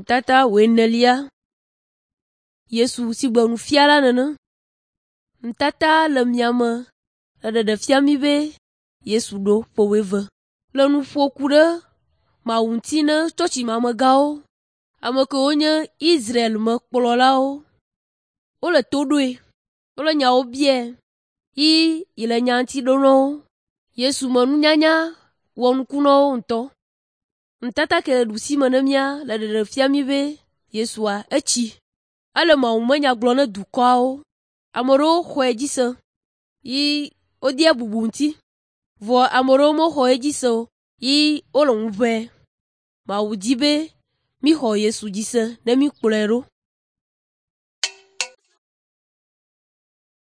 Nutata wuienelia. Yesu si gbe nufiala nene. Nutata le miame le ɖeɖefia mí be Yesu ɖo ƒe wuieve le nu ƒo ku ɖe Mawu ŋuti ne tsɔtsimamegãwo, ame kewo nye Israel me kplɔlawo. Wole to ɖoe, wole nyawo biae yi yi le nya ŋuti ɖom na wo. Yesu me nunyanya wɔ nuku na wo ŋutɔ. Nutata ke le ɖusime ne mía le ɖeɖefia mí be Yesua etsi. Ele mawumenya gblɔm ne dukɔawo. Ame ɖewo xɔe dzi se yi wodea bubu ŋuti vɔ ame ɖewo mexɔ edzi se o yi wole ŋu ʋẽ. Mawu di be míxɔ Yesu dzi se ne míkplɔe ɖo.